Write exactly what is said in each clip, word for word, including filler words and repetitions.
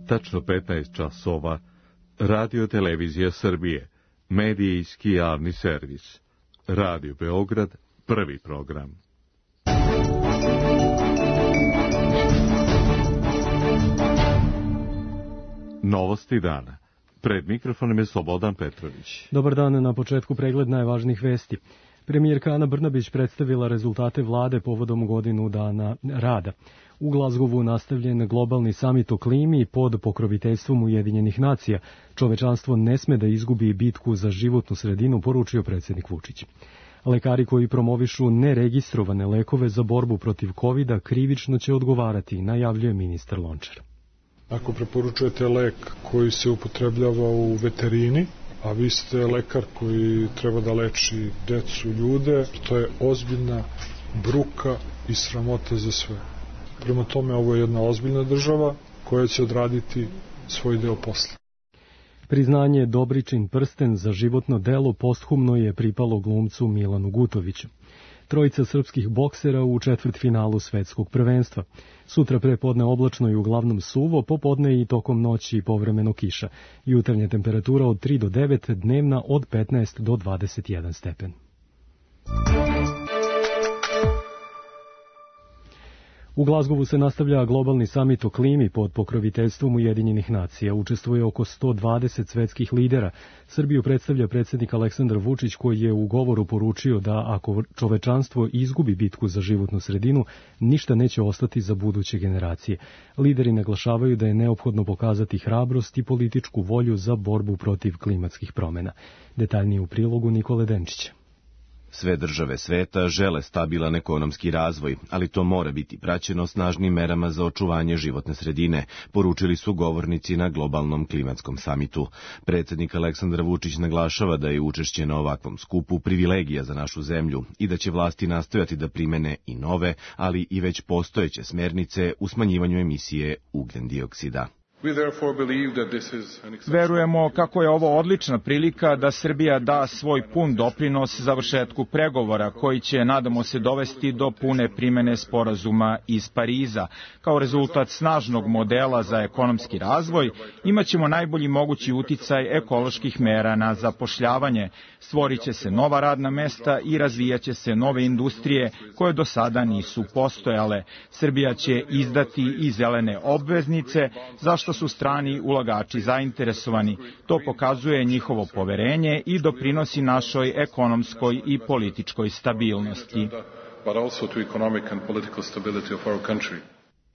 tačno petnaest časova, Radio Televizija Srbije, medijski javni servis, Radio Beograd, prvi program. Novosti dana. Pred mikrofonom je Slobodan Petrović. Dobar dan, na početku pregled najvažnijih vesti. Premijerka Ana Brnabić predstavila rezultate vlade povodom godinu dana rada. U Glazgovu nastavljen globalni samit o klimi pod pokroviteljstvom Ujedinjenih nacija. Čovečanstvo ne sme da izgubi bitku za životnu sredinu, poručio predsjednik Vučić. Lekari koji promovišu neregistrovane lekove za borbu protiv kovida krivično će odgovarati, najavljuje ministar Lončar. Ako preporučujete lek koji se upotrebljava u veterini, a vi ste lekar koji treba da leči decu, ljude, to je ozbiljna bruka i sramota za sve. Prema tome, ovo je jedna ozbiljna država koja će odraditi svoj deo posla. Priznanje Dobričin prsten za životno delo posthumno je pripalo glumcu Milanu Gutoviću. Trojica srpskih boksera u četvrtfinalu svetskog prvenstva. Sutra prepodne oblačno i uglavnom suvo, popodne i tokom noći povremeno kiša. Jutarnja temperatura od tri do devet, dnevna od petnaest do dvadeset jedan stepen. U Glazgovu se nastavlja globalni samit o klimi pod pokroviteljstvom Ujedinjenih nacija. Učestvuje oko sto dvadeset svetskih lidera. Srbiju predstavlja predsjednik Aleksandar Vučić, koji je u govoru poručio da ako čovečanstvo izgubi bitku za životnu sredinu, ništa neće ostati za buduće generacije. Lideri naglašavaju da je neophodno pokazati hrabrost i političku volju za borbu protiv klimatskih promjena. Detaljnije u prilogu Nikole Denčića. Sve države sveta žele stabilan ekonomski razvoj, ali to mora biti praćeno snažnim merama za očuvanje životne sredine, poručili su govornici na globalnom klimatskom samitu. Predsjednik Aleksandar Vučić naglašava da je učešće na ovakvom skupu privilegija za našu zemlju i da će vlasti nastojati da primene i nove, ali i već postojeće smernice u smanjivanju emisije ugljendioksida. Verujemo kako je ovo odlična prilika da Srbija da svoj pun doprinos završetku pregovora koji će, nadamo se, dovesti do pune primene sporazuma iz Pariza. Kao rezultat snažnog modela za ekonomski razvoj imaćemo najbolji mogući uticaj ekoloških mera na zapošljavanje, stvorit će se nova radna mesta i razvijaće se nove industrije koje do sada nisu postojale. Srbija će izdati i zelene obveznice, zašto su strani ulagači zainteresovani. To pokazuje njihovo poverenje i doprinosi našoj ekonomskoj i političkoj stabilnosti.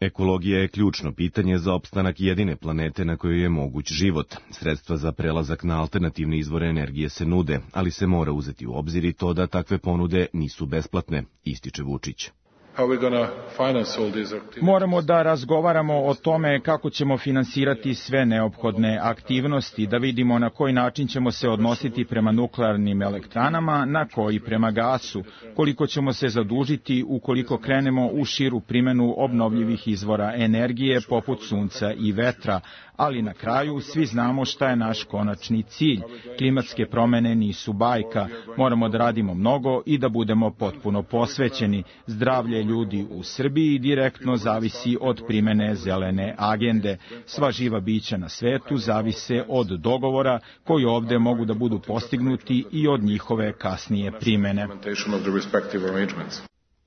Ekologija je ključno pitanje za opstanak jedine planete na kojoj je moguć život. Sredstva za prelazak na alternativne izvore energije se nude, ali se mora uzeti u obzir i to da takve ponude nisu besplatne, ističe Vučić. Moramo da razgovaramo o tome kako ćemo finansirati sve neophodne aktivnosti, da vidimo na koji način ćemo se odnositi prema nuklearnim elektranama, na koji prema gasu, koliko ćemo se zadužiti ukoliko krenemo u širu primjenu obnovljivih izvora energije poput sunca i vetra, ali na kraju svi znamo šta je naš konačni cilj. Klimatske promjene nisu bajka, moramo da radimo mnogo i da budemo potpuno posvećeni. Zdravlje ljudi u Srbiji direktno zavisi od primjene zelene agende. Sva živa bića na svetu zavise od dogovora koji ovdje mogu da budu postignuti i od njihove kasnije primjene.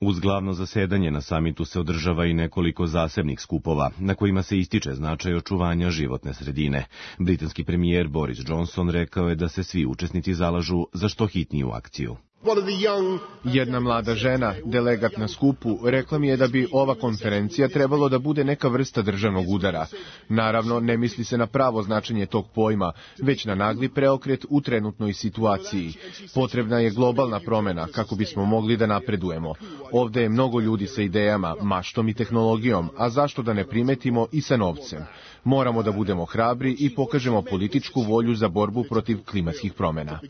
Uz glavno zasedanje na samitu se održava i nekoliko zasebnih skupova, na kojima se ističe značaj očuvanja životne sredine. Britanski premijer Boris Johnson rekao je da se svi učesnici zalažu za što hitniju akciju. Jedna mlada žena, delegat na skupu, rekla mi je da bi ova konferencija trebalo da bude neka vrsta državnog udara. Naravno, ne misli se na pravo značenje tog pojma, već na nagli preokret u trenutnoj situaciji. Potrebna je globalna promjena kako bismo mogli da napredujemo. Ovdje je mnogo ljudi sa idejama, maštom i tehnologijom, a zašto da ne primetimo i sa novcem? Moramo da budemo hrabri i pokažemo političku volju za borbu protiv klimatskih promjena.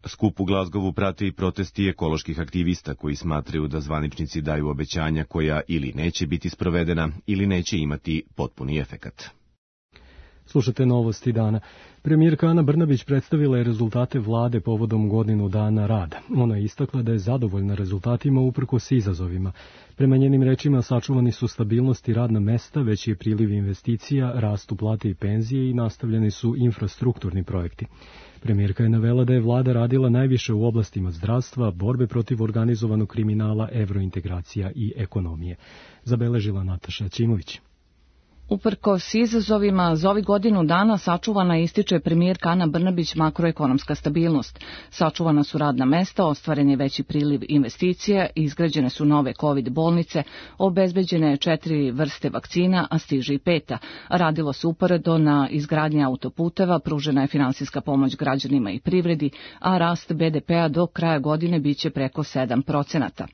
Skup u Glazgovu prate i protesti ekoloških aktivista koji smatraju da zvaničnici daju obećanja koja ili neće biti sprovedena ili neće imati potpuni efekat. Slušate Novosti dana. Premijerka Ana Brnabić predstavila je rezultate vlade povodom godinu dana rada. Ona je istakla da je zadovoljna rezultatima uprkos izazovima. Prema njenim rečima sačuvani su stabilnost i radna mesta, veći je priliv investicija, rastu plate i penzije i nastavljeni su infrastrukturni projekti. Premijerka je navela da je vlada radila najviše u oblastima zdravstva, borbe protiv organizovanog kriminala, evrointegracija i ekonomije. Zabeležila Nataša Ćimović. Uprkos izazovima, za ovih godinu dana sačuvana ističe premijerka Ana Brnabić makroekonomska stabilnost. Sačuvana su radna mesta, ostvaren je veći priliv investicija, izgrađene su nove COVID bolnice, obezbeđene četiri vrste vakcina, a stiže i peta. Radilo se uporedo na izgradnji autoputeva, pružena je finansijska pomoć građanima i privredi, a rast be de pea do kraja godine biće preko sedam procenata.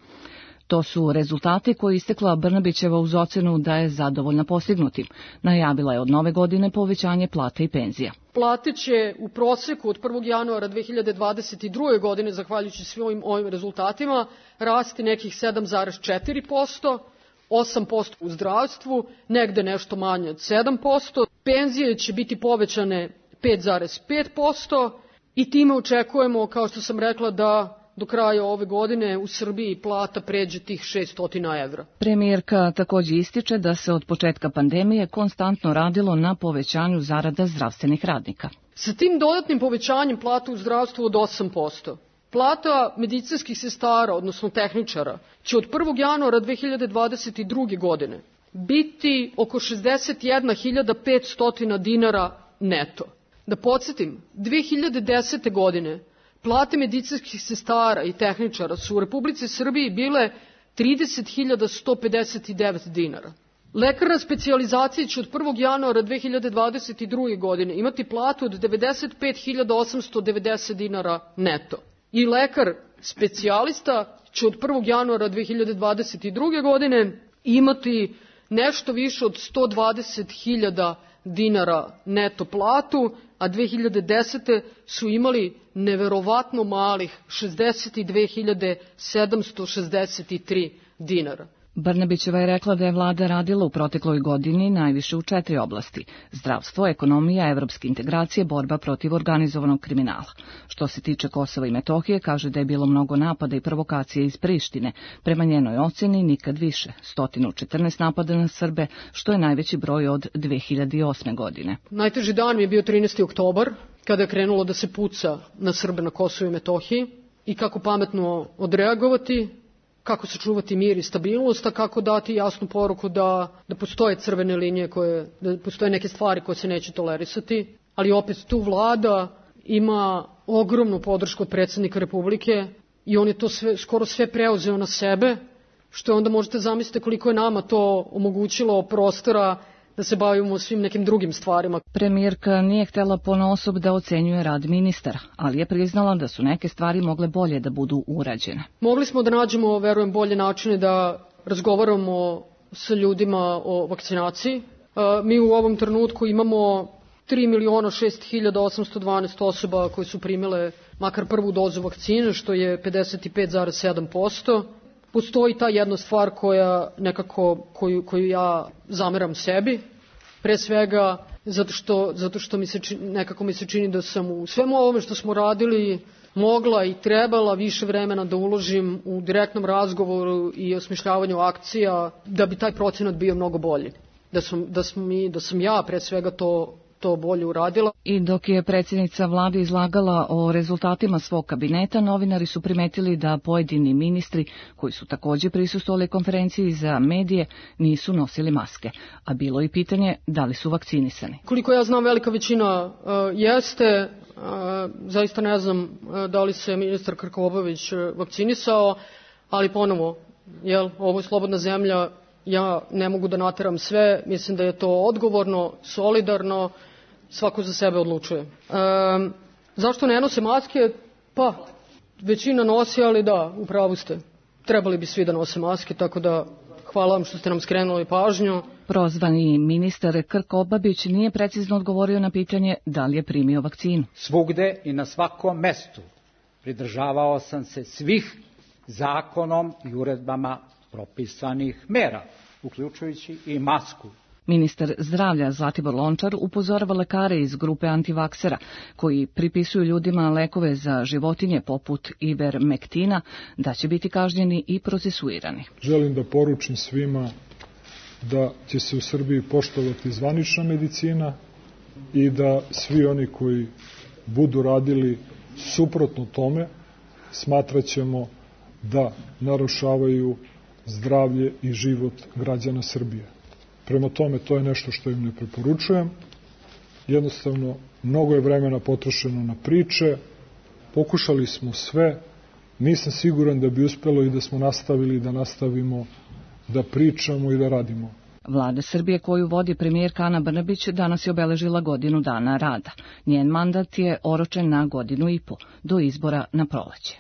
To su rezultati koje istekla Brnabićeva uz ocenu da je zadovoljna postignutim. Najavila je od nove godine povećanje plata i penzija. Plate će u proseku od prvog januara dve hiljade dvadeset druge. godine, zahvaljujući svim ovim rezultatima, rasti nekih sedam zarez četiri posto, osam posto u zdravstvu, negde nešto manje od sedam posto. Penzije će biti povećane pet zarez pet posto i time očekujemo, kao što sam rekla, da do kraja ove godine u Srbiji plata pređe tih šessto evra. Premijerka također ističe da se od početka pandemije konstantno radilo na povećanju zarada zdravstvenih radnika. Sa tim dodatnim povećanjem plata u zdravstvu od osam posto, plata medicinskih sestara, odnosno tehničara, će od prvog januara dve hiljade dvadeset druge. godine biti oko šezdeset jedna hiljada petsto dinara neto. Da podsjetim, dve hiljade desete. godine plate medicinskih sestara i tehničara su u Republici Srbiji bile trideset hiljada sto pedeset devet dinara. Lekar na specijalizaciji će od prvog januara dve hiljade dvadeset druge. godine imati platu od devedeset pet hiljada osamsto devedeset dinara neto. I lekar specijalista će od prvog januara dve hiljade dvadeset druge. godine imati nešto više od sto dvadeset hiljada dinara neto platu, a dve hiljade desete. su imali neverovatno malih šezdeset dve hiljade sedamsto šezdeset tri dinara. Brnabićeva je rekla da je vlada radila u protekloj godini najviše u četiri oblasti: zdravstvo, ekonomija, evropske integracije, borba protiv organizovanog kriminala. Što se tiče Kosova i Metohije, kaže da je bilo mnogo napada i provokacije iz Prištine. Prema njenoj oceni nikad više, sto četrnaest napada na Srbe, što je najveći broj od dve hiljade osme. godine. Najteži dan mi je bio trinaesti oktobar, kada je krenulo da se puca na Srbe na Kosovu i Metohiji i kako pametno odreagovati, kako sačuvati mir i stabilnost, a kako dati jasnu poruku da, da postoje crvene linije, koje, da postoje neke stvari koje se neće tolerisati, ali opet tu vlada ima ogromnu podršku od predsjednika Republike i on je to sve, skoro sve preuzeo na sebe, što onda možete zamisliti koliko je nama to omogućilo prostora da se bavimo svim nekim drugim stvarima. Premijerka nije htjela ponaosob da ocenjuje rad ministara, ali je priznala da su neke stvari mogle bolje da budu urađene. Mogli smo da nađemo, verujem, bolje načine da razgovaramo sa ljudima o vakcinaciji. Mi u ovom trenutku imamo tri miliona šest hiljada osamsto dvanaest osoba koje su primile makar prvu dozu vakcine, što je pedeset pet zarez sedam posto. Postoji ta jedna stvar koja nekako, koju, koju ja zameram sebi, pre svega zato što, zato što mi se čini, nekako mi se čini da sam u svemu ovome što smo radili mogla i trebala više vremena da uložim u direktnom razgovoru i osmišljavanju akcija da bi taj procenat bio mnogo bolji. Da sam, da sam, mi, da sam ja pre svega to to bolje uradila. I dok je predsjednica vlade izlagala o rezultatima svog kabineta, novinari su primetili da pojedini ministri, koji su također prisustvovali konferenciji za medije, nisu nosili maske. A bilo je pitanje da li su vakcinisani. Koliko ja znam, velika većina uh, jeste. Uh, zaista ne znam uh, da li se ministar Krkobabić uh, vakcinisao, ali ponovo, jel, ovo je slobodna zemlja, ja ne mogu da nateram sve, mislim da je to odgovorno, solidarno, svako za sebe odlučuje. E, zašto ne nose maske? Pa, većina nosi, ali da, u pravu ste. Trebali bi svi da nose maske, tako da hvala vam što ste nam skrenuli pažnju. Prozvani ministar Krkobabić nije precizno odgovorio na pitanje da li je primio vakcinu. Svugde i na svakom mestu pridržavao sam se svih zakonom i uredbama propisanih mera, uključujući i masku. Ministar zdravlja Zlatibor Lončar upozorava lekare iz grupe antivaksera koji pripisuju ljudima lekove za životinje poput ivermektina da će biti kažnjeni i procesuirani. Želim da poručim svima da će se u Srbiji poštovati zvanična medicina i da svi oni koji budu radili suprotno tome smatraćemo da narušavaju zdravlje i život građana Srbije. Prema tome, to je nešto što im ne preporučujem. Jednostavno, mnogo je vremena potrošeno na priče, pokušali smo sve, nisam siguran da bi uspelo i da smo nastavili da nastavimo da pričamo i da radimo. Vlada Srbije koju vodi premijerka Ana Brnabić danas je obeležila godinu dana rada. Njen mandat je oročen na godinu i po, do izbora na proleće.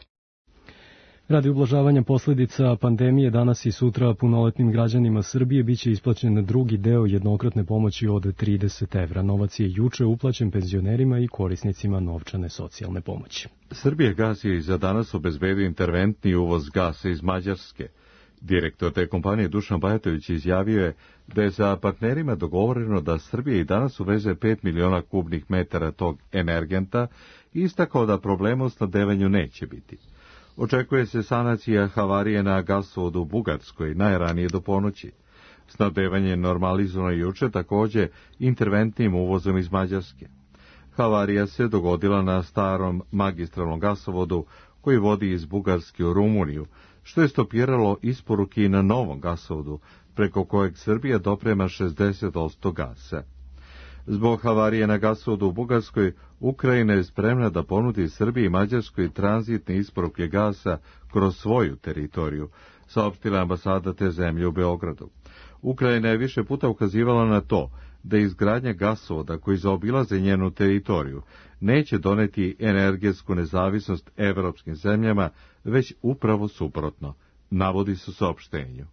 Radi ublažavanja posledica pandemije danas i sutra punoletnim građanima Srbije biće isplaćen drugi deo jednokratne pomoći od trideset evra. Novac je juče uplaćen penzionerima i korisnicima novčane socijalne pomoći. Srbijagas je za danas obezbedio interventni uvoz gasa iz Mađarske. Direktor te kompanije Dušan Bajatović izjavio je da je za partnerima dogovoreno da Srbija i danas uveze pet miliona kubnih metara tog energenta i istakao da problema u snabdevanju neće biti. Očekuje se sanacija havarije na gasovodu u Bugarskoj najranije do ponoći. Snabdevanje je normalizovano juče takođe interventnim uvozom iz Mađarske. Havarija se dogodila na starom magistralnom gasovodu koji vodi iz Bugarske u Rumuniju, što je stopiralo isporuke i na novom gasovodu, preko kojeg Srbija doprema šezdeset posto gasa. Zbog havarije na gasovodu u Bugarskoj, Ukrajina je spremna da ponudi Srbiji i Mađarskoj tranzitne isporuke gasa kroz svoju teritoriju, saopštila ambasada te zemlje u Beogradu. Ukrajina je više puta ukazivala na to da izgradnja gasovoda koji zaobilaze njenu teritoriju neće doneti energetsku nezavisnost evropskim zemljama, već upravo suprotno, navodi se u saopštenju.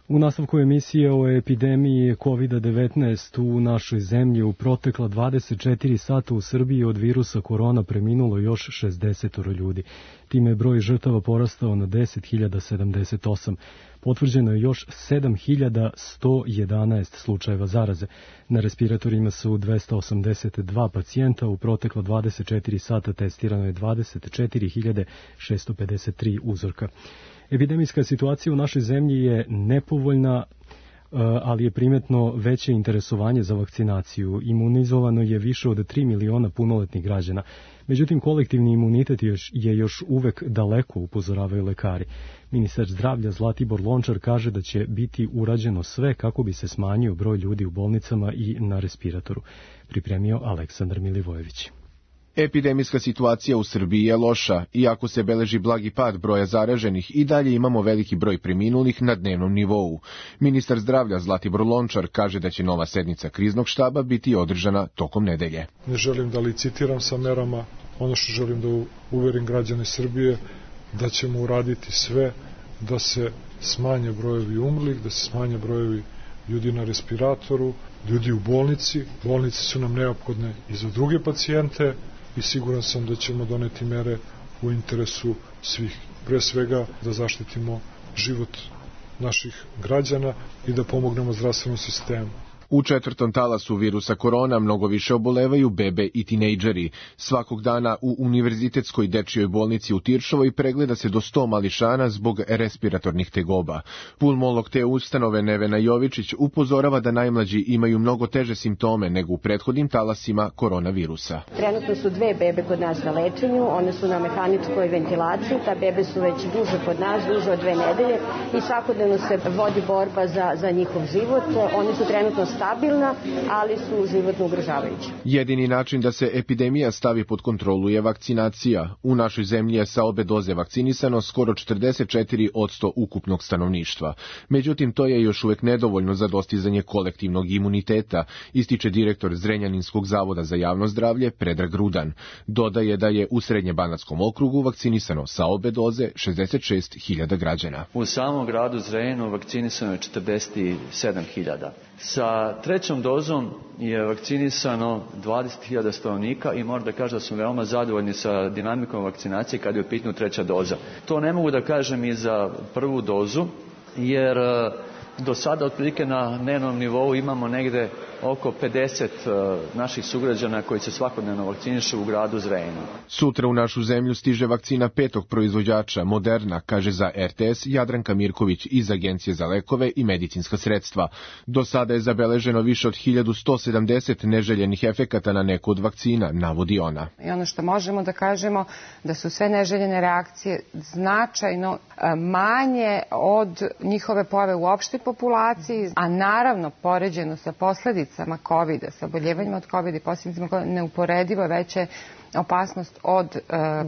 U nastavku emisije o epidemiji kovid devetnaest u našoj zemlji u protekla dvadeset četiri sata u Srbiji od virusa korona preminulo još šezdeset ljudi. Time je broj žrtava porastao na deset hiljada sedamdeset osam. Potvrđeno je još sedam hiljada sto jedanaest slučajeva zaraze. Na respiratorima su dvesta osamdeset dva pacijenta, u protekla dvadeset četiri sata testirano je dvadeset četiri hiljade šesto pedeset tri uzorka. Epidemijska situacija u našoj zemlji je nepovoljna, ali je primetno veće interesovanje za vakcinaciju. Imunizovano je više od tri miliona punoletnih građana. Međutim, kolektivni imunitet je još uvek daleko, upozoravaju lekari. Ministar zdravlja Zlatibor Lončar kaže da će biti urađeno sve kako bi se smanjio broj ljudi u bolnicama i na respiratoru. Pripremio Aleksandar Milivojević. Epidemijska situacija u Srbiji je loša, iako se beleži blagi pad broja zaraženih i dalje imamo veliki broj preminulih na dnevnom nivou. Ministar zdravlja Zlatibor Lončar kaže da će nova sednica kriznog štaba biti održana tokom nedelje. Ne želim da licitiram sa merama, ono što želim da uverim građane Srbije da ćemo uraditi sve da se smanje brojevi umrlih, da se smanje brojevi ljudi na respiratoru, ljudi u bolnici. Bolnice su nam neophodne i za druge pacijente, i siguran sam da ćemo doneti mere u interesu svih. Pre svega da zaštitimo život naših građana i da pomognemo zdravstvenom sistemu. U četvrtom talasu virusa korona mnogo više obolevaju bebe i tinejdžeri. Svakog dana u Univerzitetskoj dečijoj bolnici u Tiršovoj pregleda se do sto mališana zbog respiratornih tegoba. Pulmolog te ustanove Nevena Jovičić upozorava da najmlađi imaju mnogo teže simptome nego u prethodnim talasima koronavirusa. Trenutno su dve bebe kod nas na lečenju, one su na mehaničkoj ventilaciji, ta bebe su već duže kod nas, duže od dve nedelje i svakodnevno se vodi borba za, za njihov život. Oni su trenutno stabilna, ali su životno ugrožavajući. Jedini način da se epidemija stavi pod kontrolu je vakcinacija. U našoj zemlji je sa obe doze vakcinisano skoro četrdeset četiri posto ukupnog stanovništva. Međutim, to je još uvek nedovoljno za dostizanje kolektivnog imuniteta, ističe direktor Zrenjaninskog zavoda za javno zdravlje Predrag Rudan. Dodaje da je u Srednjebanatskom okrugu vakcinisano sa obe doze šezdeset šest hiljada građana. U samom gradu Zrenjaninu vakcinisano je četrdeset sedam hiljada. Sa trećom dozom je vakcinisano dvadeset hiljada stanovnika i moram da kažem da smo veoma zadovoljni sa dinamikom vakcinacije kada je u pitanju treća doza. To ne mogu da kažem i za prvu dozu, jer Do sada otprilike na dnevnom nivou imamo negde oko pedeset naših sugrađana koji se svakodnevno vakcinišu u gradu Zrenjaninu. Sutra u našu zemlju stiže vakcina petog proizvođača Moderna, kaže za R T S Jadranka Mirković iz Agencije za lekove i medicinska sredstva. Do sada je zabeleženo više od hiljadu sto sedamdeset neželjenih efekata na neku od vakcina, navodi ona. I ono što možemo da kažemo da su sve neželjene reakcije značajno manje od njihove pojave u opštoj populaciji, a naravno poređeno sa posledicama kovida, sa oboljevanjima od kovida i posljedicama kovida, neuporedivo veće opasnost od e,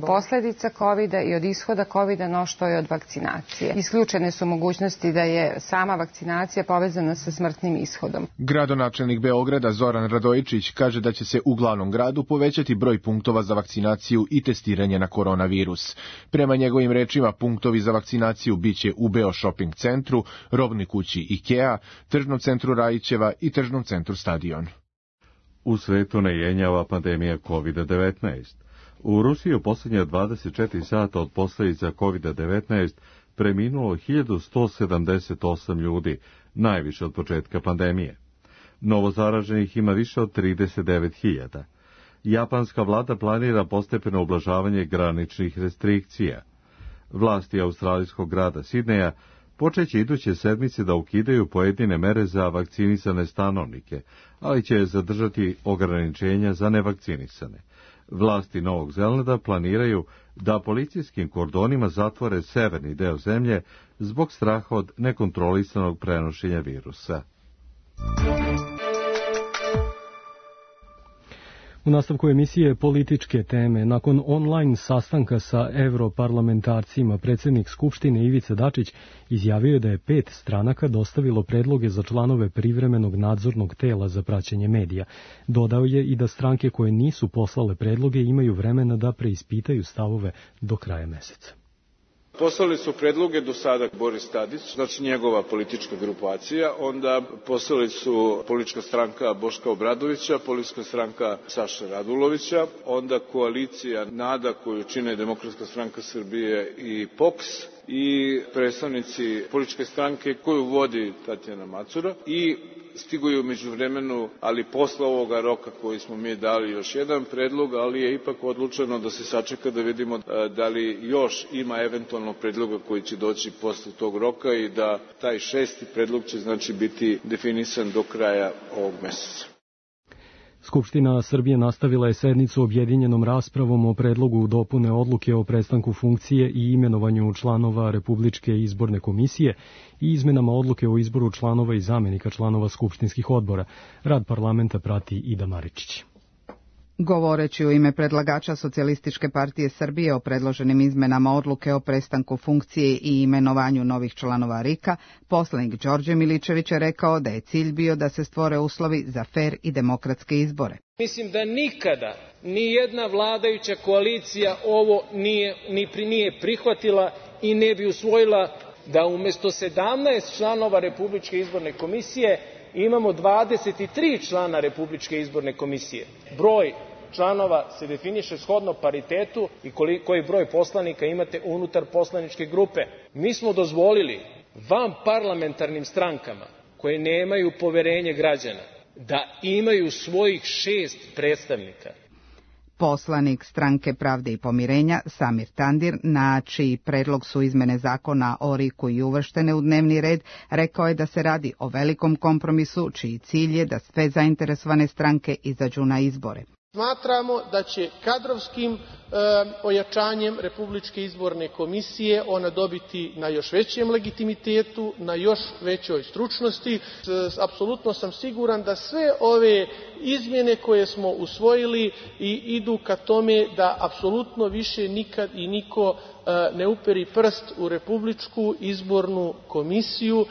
posljedica kovida i od ishoda kovida no što je od vakcinacije. Isključene su mogućnosti da je sama vakcinacija povezana sa smrtnim ishodom. Gradonačelnik Beograda Zoran Radojičić kaže da će se u glavnom gradu povećati broj punktova za vakcinaciju i testiranje na koronavirus. Prema njegovim rečima, punktovi za vakcinaciju biće u Beo Shopping centru, robnoj kući IKEA, tržnom centru Rajićeva i tržnom centru Stadion. U svetu ne jenjava pandemija kovid devetnaest. U Rusiji u posljednje dvadeset četiri sata od posljedica kovid devetnaest preminulo hiljadu sto sedamdeset osam ljudi, najviše od početka pandemije. Novozaraženih ima više od trideset devet hiljada. Japanska vlada planira postepeno ublažavanje graničnih restrikcija. Vlasti australijskog grada Sidneja počeće iduće sedmice da ukidaju pojedine mere za vakcinisane stanovnike, ali će zadržati ograničenja za nevakcinisane. Vlasti Novog Zelanda planiraju da policijskim kordonima zatvore severni deo zemlje zbog straha od nekontrolisanog prenošenja virusa. U nastavku emisije političke teme, nakon online sastanka sa europarlamentarcima, predsjednik Skupštine Ivica Dačić izjavio je da je pet stranaka dostavilo predloge za članove privremenog nadzornog tela za praćenje medija. Dodao je i da stranke koje nisu poslale predloge imaju vremena da preispitaju stavove do kraja meseca. Poslali su predloge do sada Boris Tadić, znači njegova politička grupacija, onda poslali su politička stranka Boška Obradovića, politička stranka Saše Radulovića, onda koalicija NADA koju čine Demokratska stranka Srbije i P O K S i predstavnici političke stranke koju vodi Tatjana Macura i stigu u međuvremenu, ali posle ovoga roka koji smo mi dali još jedan predlog, ali je ipak odlučeno da se sačeka da vidimo da li još ima eventualno predloga koji će doći posle tog roka i da taj šesti predlog će znači biti definisan do kraja ovog meseca. Skupština Srbije nastavila je sednicu objedinjenom raspravom o predlogu dopune odluke o prestanku funkcije i imenovanju članova Republičke izborne komisije i izmenama odluke o izboru članova i zamenika članova skupštinskih odbora. Rad parlamenta prati Ida Maričić. Govoreći u ime predlagača Socijalističke partije Srbije o predloženim izmenama odluke o prestanku funkcije i imenovanju novih članova R I K-a, poslanik Đorđe Miličević je rekao da je cilj bio da se stvore uslovi za fer i demokratske izbore. Mislim da nikada ni jedna vladajuća koalicija ovo nije, ni pri, nije prihvatila i ne bi usvojila da umesto sedamnaest članova Republičke izborne komisije imamo dvadeset tri člana Republičke izborne komisije. Broj članova se definiše shodno paritetu i koji broj poslanika imate unutar poslaničke grupe. Mi smo dozvolili van parlamentarnim strankama koje nemaju poverenje građana da imaju svojih šest predstavnika. Poslanik Stranke pravde i pomirenja Samir Tandir, na čiji predlog su izmene zakona o R I K-u i uvrštene u dnevni red, rekao je da se radi o velikom kompromisu čiji cilj je da sve zainteresovane stranke izađu na izbore. Smatramo da će kadrovskim e, ojačanjem Republičke izborne komisije ona dobiti na još većem legitimitetu, na još većoj stručnosti. E, apsolutno sam siguran da sve ove izmjene koje smo usvojili i idu ka tome da apsolutno više nikad i niko e, ne uperi prst u Republičku izbornu komisiju.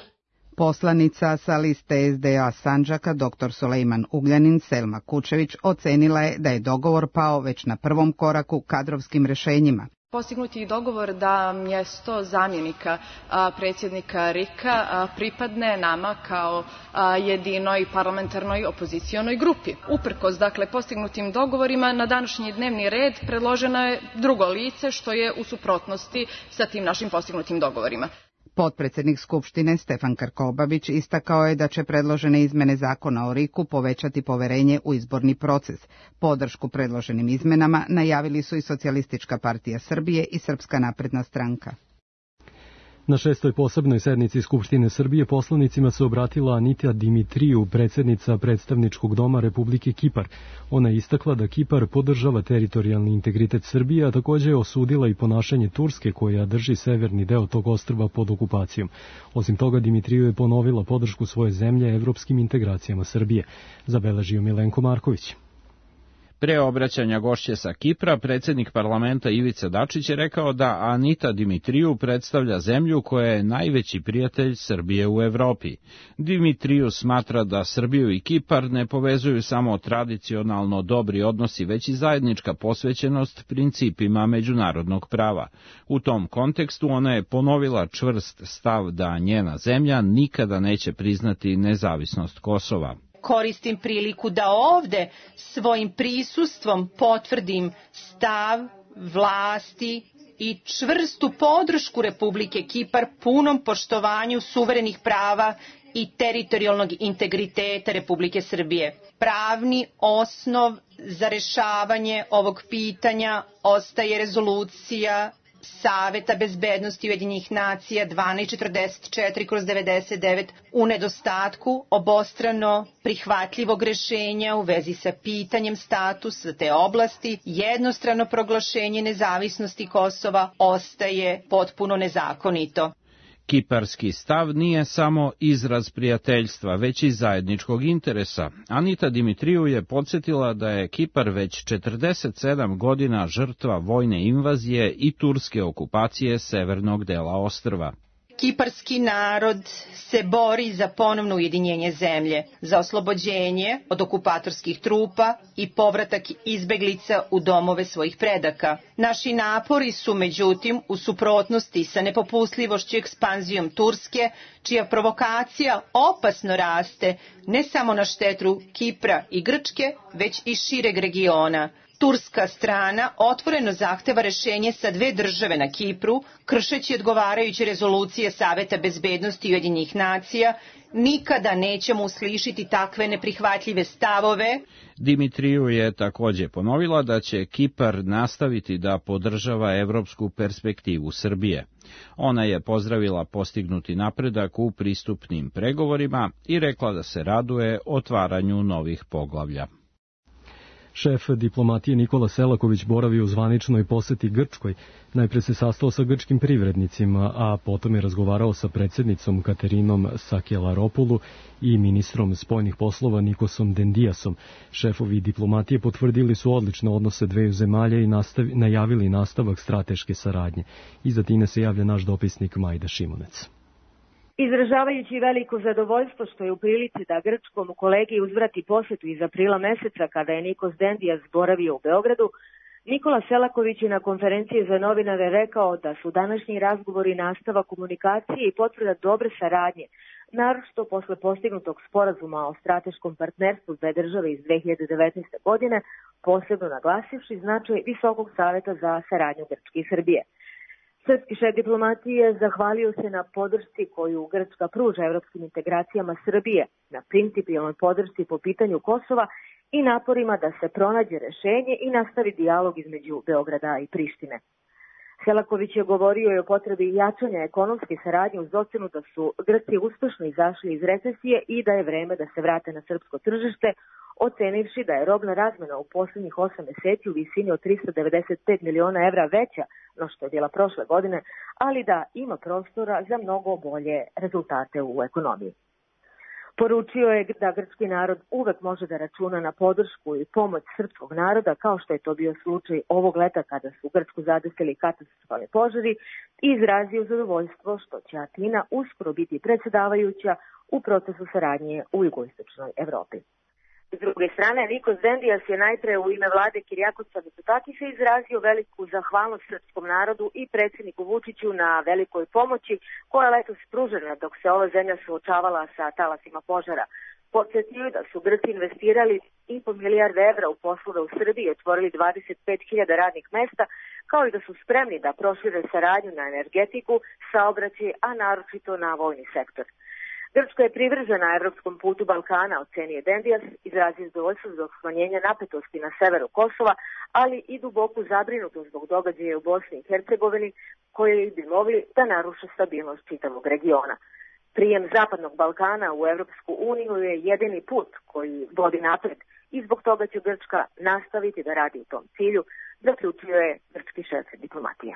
Poslanica sa liste S D A Sandžaka dr Sulejman Ugljanin Selma Kučević ocenila je da je dogovor pao već na prvom koraku kadrovskim rešenjima. Postignut je dogovor da mjesto zamjenika a, predsjednika R I K-a pripadne nama kao a, jedinoj parlamentarnoj opozicionoj grupi. Uprkos dakle postignutim dogovorima na današnji dnevni red predloženo je drugo lice što je u suprotnosti sa tim našim postignutim dogovorima. Potpredsjednik Skupštine Stefan Krkobabić istakao je da će predložene izmene zakona o riku povećati poverenje u izborni proces. Podršku predloženim izmenama najavili su i Socijalistička partija Srbije i Srpska napredna stranka. Na šestoj posebnoj sednici Skupštine Srbije poslanicima se obratila Anita Dimitriju, predsjednica predstavničkog doma Republike Kipar. Ona je istakla da Kipar podržava teritorijalni integritet Srbije, a također je osudila i ponašanje Turske koja drži severni deo tog ostrva pod okupacijom. Osim toga, Dimitriju je ponovila podršku svoje zemlje evropskim integracijama Srbije. Zabeležio Milenko Marković. Pre obraćanja gošće sa Kipra, predsjednik parlamenta Ivica Dačić je rekao da Anita Dimitriju predstavlja zemlju koja je najveći prijatelj Srbije u Evropi. Dimitriju smatra da Srbiju i Kipar ne povezuju samo tradicionalno dobri odnosi, već i zajednička posvećenost principima međunarodnog prava. U tom kontekstu ona je ponovila čvrst stav da njena zemlja nikada neće priznati nezavisnost Kosova. Koristim priliku da ovde svojim prisustvom potvrdim stav vlasti i čvrstu podršku Republike Kipar punom poštovanju suverenih prava i teritorijalnog integriteta Republike Srbije. Pravni osnov za rešavanje ovog pitanja ostaje rezolucija Saveta bezbednosti Ujedinjenih nacija dvanaest četrdeset četiri kroz devedeset devet u nedostatku obostrano prihvatljivog rešenja u vezi sa pitanjem statusa te oblasti, jednostrano proglašenje nezavisnosti Kosova ostaje potpuno nezakonito. Kiparski stav nije samo izraz prijateljstva, već i zajedničkog interesa. Anita Dimitriju je podsjetila da je Kipar već četrdeset sedam godina žrtva vojne invazije i turske okupacije severnog dela ostrva. Kiparski narod se bori za ponovno ujedinjenje zemlje, za oslobođenje od okupatorskih trupa i povratak izbeglica u domove svojih predaka. Naši napori su, međutim, u suprotnosti sa nepopustljivošću ekspanzijom Turske, čija provokacija opasno raste ne samo na štetu Kipra i Grčke, već i šireg regiona. Turska strana otvoreno zahteva rešenje sa dve države na Kipru, kršeći odgovarajuće rezolucije Saveta bezbednosti Ujedinjenih nacija. Nikada nećemo uslišiti takve neprihvatljive stavove. Dimitriju je također ponovila da će Kipar nastaviti da podržava evropsku perspektivu Srbije. Ona je pozdravila postignuti napredak u pristupnim pregovorima i rekla da se raduje otvaranju novih poglavlja. Šef diplomatije Nikola Selaković boravi u zvaničnoj poseti Grčkoj. Najpre se sastao sa grčkim privrednicima, a potom je razgovarao sa predsjednicom Katerinom Sakelaropulu i ministrom spoljnih poslova Nikosom Dendiasom. Šefovi diplomatije potvrdili su odlične odnose dveju zemalja i nastavi, najavili nastavak strateške saradnje. Iza Tine se javlja naš dopisnik Majda Šimunec. Izražavajući veliko zadovoljstvo što je u prilici da grčkom kolegi uzvrati posetu iz aprila meseca kada je Nikos Dendias boravio u Beogradu, Nikola Selaković je na konferenciji za novinare rekao da su današnji razgovori nastava komunikacije i potvrda dobre saradnje, naročito posle postignutog sporazuma o strateškom partnerstvu dve države iz dve hiljade devetnaeste. godine, posebno naglasivši značaj Visokog saveta za saradnju Grčke i Srbije. Srpski šef diplomatije zahvalio se na podršci koju Grčka pruža evropskim integracijama Srbije, na principijalnoj podršci po pitanju Kosova i naporima da se pronađe rešenje i nastavi dijalog između Beograda i Prištine. Selaković je govorio i o potrebi jačanja ekonomske saradnje uz ocenu da su Grci uspešno izašli iz recesije i da je vreme da se vrate na srpsko tržište, ocenivši da je robna razmena u posljednjih osam meseci u visini od trista devedeset pet miliona evra veća no što je bila prošle godine, ali da ima prostora za mnogo bolje rezultate u ekonomiji. Poručio je da grčki narod uvek može da računa na podršku i pomoć srpskog naroda, kao što je to bio slučaj ovog leta kada su Grčku zadesili katastrofalni požari, i izrazio zadovoljstvo što će Atina uskoro biti predsjedavajuća u procesu saradnje u jugoistočnoj Evropi. S druge strane, Nikos Dendias je najpre u ime vlade Kirijakosa Mitsotakisa izrazio veliku zahvalnost srpskom narodu i predsjedniku Vučiću na velikoj pomoći koja je letos pružena dok se ova zemlja suočavala sa talasima požara. Podsjetio je da su Grci investirali i po milijarde evra u poslove u Srbiji i otvorili dvadeset pet hiljada radnih mesta, kao i da su spremni da prošire saradnju na energetiku, saobraćaj, a naročito na vojni sektor. Grčka je privržena evropskom putu Balkana, ocenio Dendias, izrazio zadovoljstvo zbog smanjenja napetosti na severu Kosova, ali i duboku zabrinutost zbog događaja u Bosni i Hercegovini, koji bi mogli da naruše stabilnost čitavog regiona. Prijem Zapadnog Balkana u Evropsku uniju je jedini put koji vodi napred i zbog toga će Grčka nastaviti da radi u tom cilju, zaključio je grčki šef diplomatije.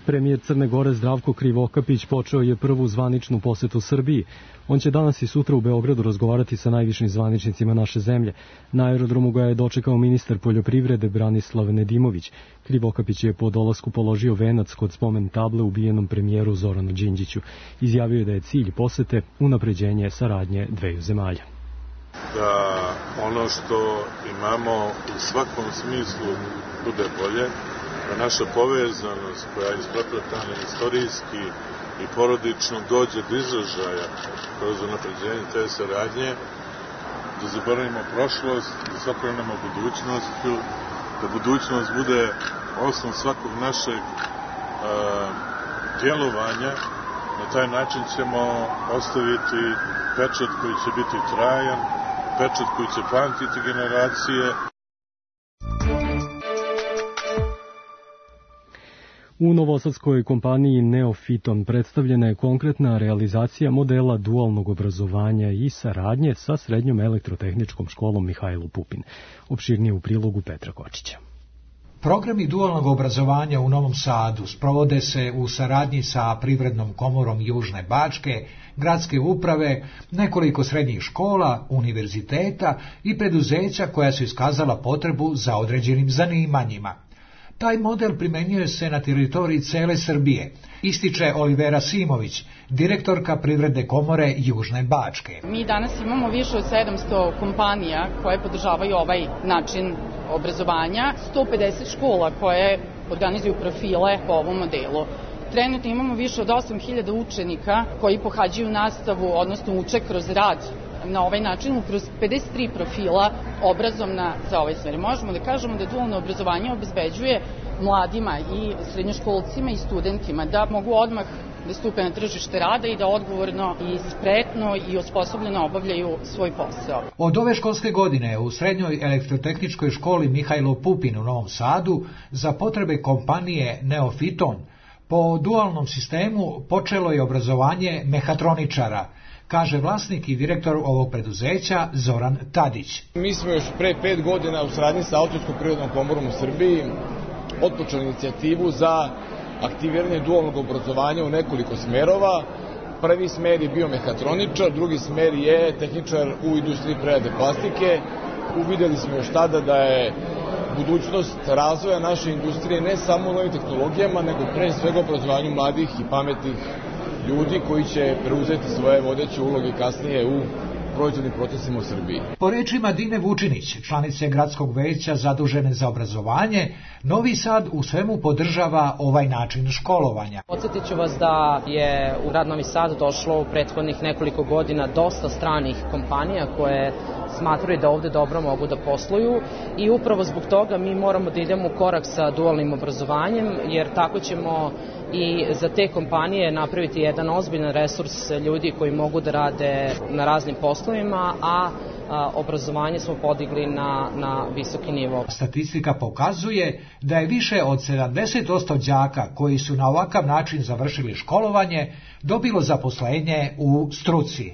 Premijer Crne Gore Zdravko Krivokapić počeo je prvu zvaničnu posetu Srbiji. On će danas i sutra u Beogradu razgovarati sa najvišim zvaničnicima naše zemlje. Na aerodromu ga je dočekao ministar poljoprivrede Branislav Nedimović. Krivokapić je po dolasku položio venac kod spomen table ubijenom premijeru Zoranu Đinđiću. Izjavio je da je cilj posete unapređenje saradnje dveju zemalja. Da ono što imamo u svakom smislu bude bolje, da naša povezanost koja je isprepletana istorijski i porodično dođe do izražaja kroz unapređenje te saradnje, da zaboravimo prošlost, da se okrenemo budućnošću, da budućnost bude osnov svakog našeg a, djelovanja. Na taj način ćemo ostaviti pečat koji će biti trajan, pečat koji će pamtiti generacije. U novosadskoj kompaniji Neofiton predstavljena je konkretna realizacija modela dualnog obrazovanja i saradnje sa Srednjom elektrotehničkom školom Mihajlo Pupin. Opširnije u prilogu Petra Kočića. Programi dualnog obrazovanja u Novom Sadu sprovode se u saradnji sa Privrednom komorom Južne Bačke, gradske uprave, nekoliko srednjih škola, univerziteta i preduzeća koja su iskazala potrebu za određenim zanimanjima. Taj model primenjuje se na teritoriji cele Srbije, ističe Olivera Simović, direktorka Privredne komore Južne Bačke. Mi danas imamo više od sedamsto kompanija koje podržavaju ovaj način obrazovanja, sto pedeset škola koje organizuju profile po ovom modelu. Trenutno imamo više od osam hiljada učenika koji pohađaju nastavu, odnosno uče kroz rad na ovaj način, kroz pedeset tri profila obrazovna za ovaj smer. Možemo da kažemo da dualno obrazovanje obezbeđuje mladima i srednjoškolcima i studentima da mogu odmah da stupe na tržište rada i da odgovorno i spretno i osposobljeno obavljaju svoj posao. Od ove školske godine u Srednjoj elektrotehničkoj školi Mihajlo Pupin u Novom Sadu za potrebe kompanije Neofiton po dualnom sistemu počelo je obrazovanje mehatroničara, kaže vlasnik i direktor ovog preduzeća Zoran Tadić. Mi smo još pre pet godina u saradnji sa Austrijskom privrednom komorom u Srbiji otpočeli inicijativu za aktiviranje dualnog obrazovanja u nekoliko smerova. Prvi smer je bio mehatroničar, drugi smer je tehničar u industriji prerade plastike. Uvideli smo još tada da je budućnost razvoja naše industrije ne samo u novim tehnologijama, nego pre svega obrazovanju mladih i pametnih ljudi koji će preuzeti svoje vodeće uloge kasnije u proizvodnim procesima u Srbiji. Po rečima Dine Vučinić, članice gradskog veća zadužene za obrazovanje, Novi Sad u svemu podržava ovaj način školovanja. Podsjetit ću vas da je u grad Novi Sad došlo u prethodnih nekoliko godina dosta stranih kompanija koje smatraju da ovde dobro mogu da posluju i upravo zbog toga mi moramo da idemo u korak sa dualnim obrazovanjem, jer tako ćemo i za te kompanije napraviti jedan ozbiljan resurs ljudi koji mogu da rade na raznim poslovima, a, a obrazovanje smo podigli na, na visoki nivo. Statistika pokazuje da je više od sedamdeset posto đaka koji su na ovakav način završili školovanje dobilo zaposlenje u struci.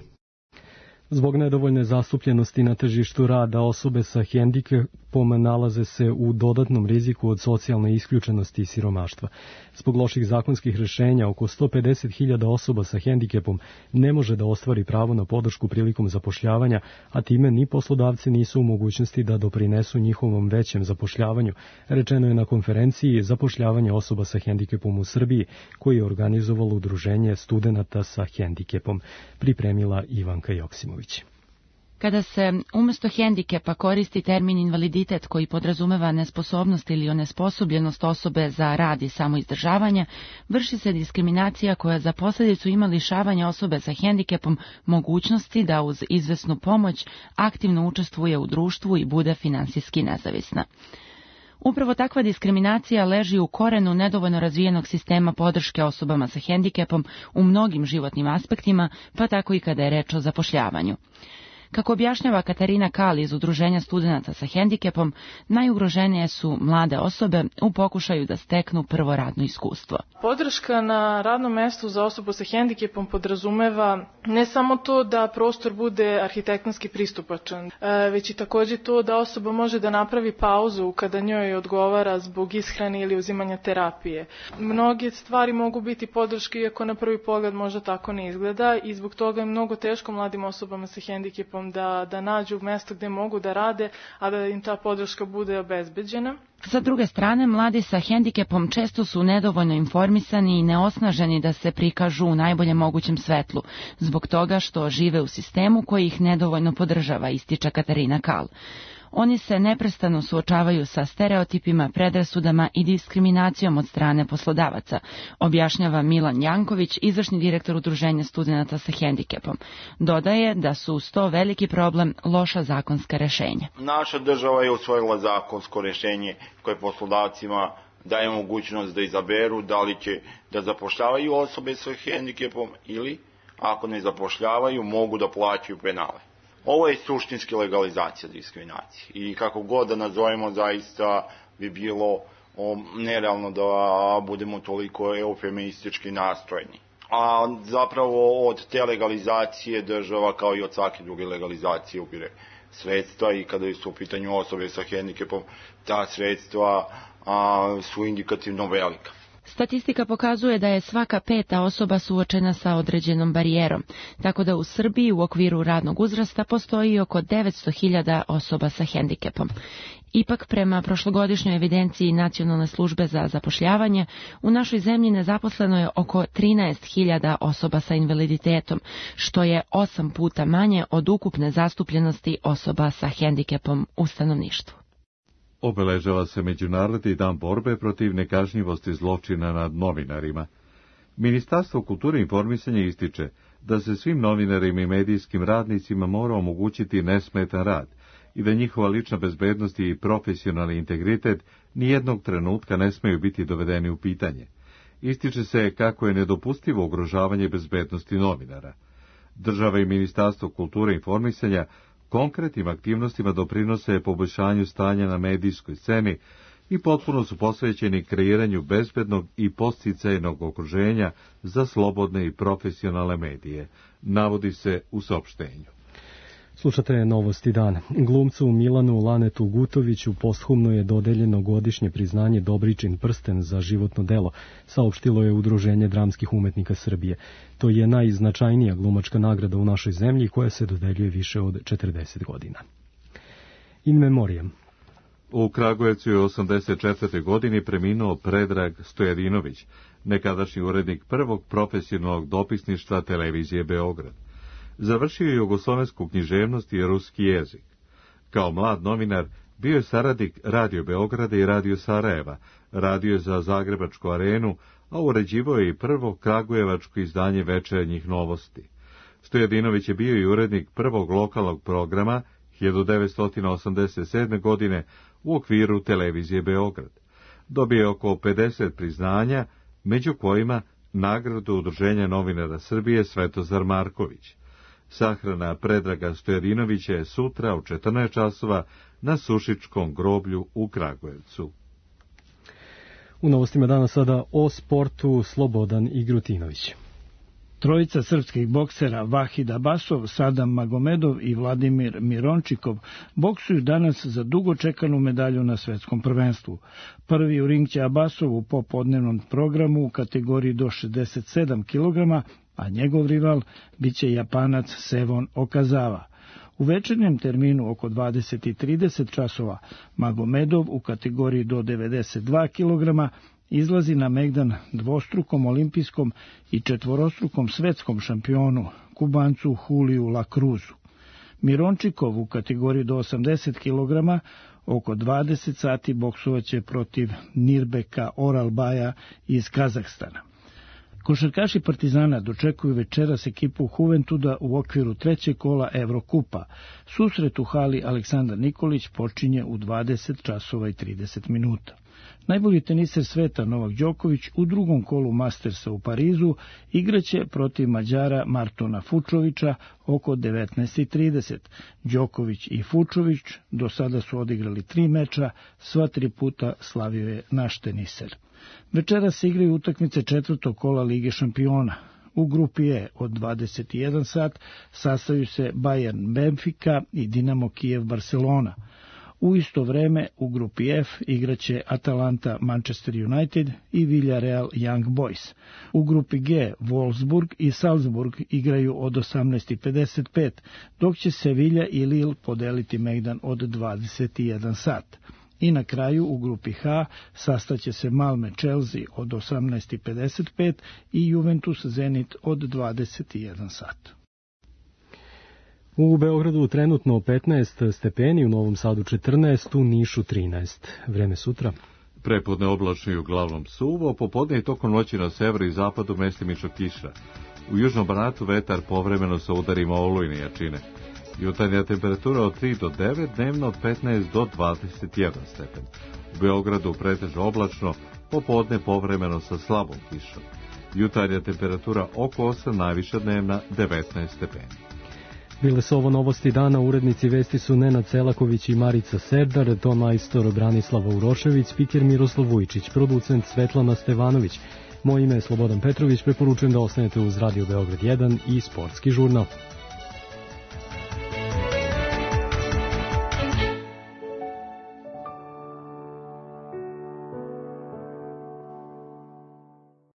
Zbog nedovoljne zastupljenosti na tržištu rada osobe sa hendikepom nalaze se u dodatnom riziku od socijalne isključenosti i siromaštva. Zbog loših zakonskih rešenja, oko sto pedeset hiljada osoba sa hendikepom ne može da ostvari pravo na podršku prilikom zapošljavanja, a time ni poslodavci nisu u mogućnosti da doprinesu njihovom većem zapošljavanju, rečeno je na konferenciji Zapošljavanje osoba sa hendikepom u Srbiji, koji je organizovalo Udruženje studenata sa hendikepom, pripremila Ivanka Joksimović. Kada se umesto hendikepa koristi termin invaliditet koji podrazumeva nesposobnost ili onesposobljenost osobe za rad i samoizdržavanje, vrši se diskriminacija koja za posljedicu ima lišavanje osobe sa hendikepom mogućnosti da uz izvesnu pomoć aktivno učestvuje u društvu i bude finansijski nezavisna. Upravo takva diskriminacija leži u korenu nedovoljno razvijenog sistema podrške osobama sa hendikepom u mnogim životnim aspektima, pa tako i kada je reč o zapošljavanju. Kako objašnjava Katarina Kali iz Udruženja studenata sa hendikepom, najugroženije su mlade osobe u pokušaju da steknu prvo radno iskustvo. Podrška na radnom mestu za osobu sa hendikepom podrazumeva ne samo to da prostor bude arhitektonski pristupačan, već i također to da osoba može da napravi pauzu kada njoj odgovara zbog ishrane ili uzimanja terapije. Mnoge stvari mogu biti podrške, iako na prvi pogled možda tako ne izgleda, i zbog toga je mnogo teško mladim osobama sa hendikepom Da, da nađu mesto gde mogu da rade, a da im ta podrška bude obezbeđena. Sa druge strane, mladi sa hendikepom često su nedovoljno informisani i neosnaženi da se prikažu u najboljem mogućem svetlu, zbog toga što žive u sistemu koji ih nedovoljno podržava, ističe Katarina Kal. Oni se neprestano suočavaju sa stereotipima, predrasudama i diskriminacijom od strane poslodavaca, objašnjava Milan Janković, izvršni direktor Udruženja studenata sa hendikepom. Dodaje da su uz to veliki problem loša zakonska rešenja. Naša država je usvojila zakonsko rešenje koje poslodavcima daje mogućnost da izaberu da li će da zapošljavaju osobe sa hendikepom ili, ako ne zapošljavaju, mogu da plaćaju penale. Ovo je suštinski legalizacija diskriminacije i kako god da nazovemo, zaista bi bilo nerealno da budemo toliko eufemistički nastrojeni. A zapravo od te legalizacije država, kao i od svake druge legalizacije, ubire sredstva i kada su u pitanju osobe sa hendikepom, ta sredstva a, su indikativno velika. Statistika pokazuje da je svaka peta osoba suočena sa određenom barijerom, tako da u Srbiji u okviru radnog uzrasta postoji oko devetsto hiljada osoba sa hendikepom. Ipak, prema prošlogodišnjoj evidenciji Nacionalne službe za zapošljavanje, u našoj zemlji nezaposleno je oko trinaest hiljada osoba sa invaliditetom, što je osam puta manje od ukupne zastupljenosti osoba sa hendikepom u stanovništvu. Obeležava se Međunarodni dan borbe protiv nekažnjivosti zločina nad novinarima. Ministarstvo kulture i informisanja ističe da se svim novinarima i medijskim radnicima mora omogućiti nesmetan rad i da njihova lična bezbednost i profesionalni integritet nijednog trenutka ne smeju biti dovedeni u pitanje. Ističe se kako je nedopustivo ugrožavanje bezbednosti novinara. Država i Ministarstvo kulture i informisanja konkretnim aktivnostima doprinose poboljšanju stanja na medijskoj sceni i potpuno su posvećeni kreiranju bezbednog i podsticajnog okruženja za slobodne i profesionalne medije, navodi se u saopštenju. Slušate Novosti dana. Glumcu Milanu Lanetu Gutoviću posthumno je dodeljeno godišnje priznanje Dobričin prsten za životno delo, saopštilo je Udruženje dramskih umetnika Srbije. To je najznačajnija glumačka nagrada u našoj zemlji koja se dodeljuje više od četrdeset godina. In memoriam. U Kragujevcu je u osamdeset četvrtoj godini preminuo Predrag Stojadinović, nekadašnji urednik prvog profesionalnog dopisništva televizije Beograd. Završio je jugoslovensku književnost i ruski jezik. Kao mlad novinar bio je saradnik Radio Beograda i Radio Sarajeva, radio je za Zagrebačku arenu, a uređivao je i prvo kragujevačko izdanje Večernjih novosti. Stojadinović je bio i urednik prvog lokalnog programa hiljadu devetsto osamdeset sedme. godine u okviru televizije Beograd. Dobio je oko pedeset priznanja, među kojima nagradu Udruženja novinara Srbije Svetozar Marković. Sahrana Predraga Stojadinovića je sutra u četrnaest časova na Sušičkom groblju u Kragujevcu. U novostima dana sada o sportu Slobodan Igrutinović. Trojica srpskih boksera Vahid Abasov, Sadam Magomedov i Vladimir Mirončikov boksuju danas za dugo čekanu medalju na svetskom prvenstvu. Prvi u ring će Abasov u popodnevnom programu u kategoriji do šezdeset sedam kilograma, a njegov rival biće Japanac Sevon Okazawa. U večernjem terminu oko dvadeset i trideset časova Magomedov u kategoriji do devedeset dva kilograma izlazi na megdan dvostrukom olimpijskom i četvorostrukom svetskom šampionu, Kubancu Juliju La Cruzu. Mirončikov u kategoriji do osamdeset kilograma oko dvadeset sati boksovaće protiv Nirbeka Oralbaja iz Kazahstana. Košarkaši Partizana dočekuju večeras ekipu Juventuda u okviru trećeg kola Evrokupa. Susret u hali Aleksandar Nikolić počinje u dvadeset časova i trideset minuta. Najbolji teniser sveta Novak Đoković u drugom kolu Mastersa u Parizu igraće protiv Mađara Martona Fučovića oko devetnaest i trideset. Đoković i Fučović do sada su odigrali tri meča, sva tri puta slavio je naš teniser. Večera se igraju utakmice četvrtog kola Lige šampiona. U grupi E od dvadeset i jedan sat sastaju se Bayern Benfica i Dinamo Kijev Barcelona. U isto vreme u grupi F igraće Atalanta Manchester United i Villarreal Young Boys. U grupi G Wolfsburg i Salzburg igraju od osamnaest i pedeset pet, dok će Sevilla i Lille podeliti megdan od dvadeset i jedan sat. I na kraju u grupi H sastaće se Malme Chelsea od osamnaest i pedeset pet i Juventus Zenit od dvadeset i jedan sat. U Beogradu trenutno petnaest stepeni, u Novom Sadu četrnaest, u Nišu trinaest. Vreme sutra. Prepodne oblačno i uglavnom suvo, popodne i tokom noći na severu i zapadu mestimično kiša. U južnom Banatu vetar povremeno sa udarima olujne jačine. Jutarnja temperatura od tri do devet, dnevno od petnaest do dvadeset jedan stepen. U Beogradu pretežno oblačno, popodne povremeno sa slabom kišom. Jutarnja temperatura oko osam, najviša dnevna devetnaest stepeni. Bile su ovo novosti dana, urednici vesti su Nenad Selaković i Marica Serdar, ton majstor Branislava Urošević, spiker Miroslav Vujčić, producent Svetlana Stevanović. Moje ime je Slobodan Petrović, preporučujem da ostanete uz Radio Beograd jedan i Sportski žurnal.